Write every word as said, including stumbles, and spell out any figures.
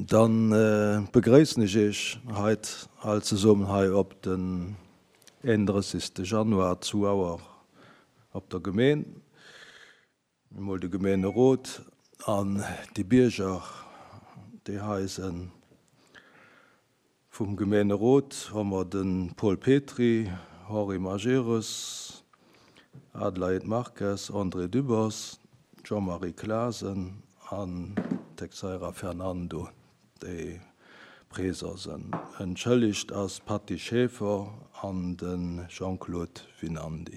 Dann begréissen ech Iech heit all zesummen hei op den eenundrëssigste Januar zu Auer op der Gemeen. Emol de Gemeenerot an déi Bierger, déi hei sinn. Vum Gemeenerot hu mer de Paul Petry, Henri Majerus, Adelaide Marques, André Dübbers, Jean-Marie Clasen an Texeira Fernando, déi present sinn. Entschëllegt ass d'Patty Schaeffer an de Jean-Claude Winandy.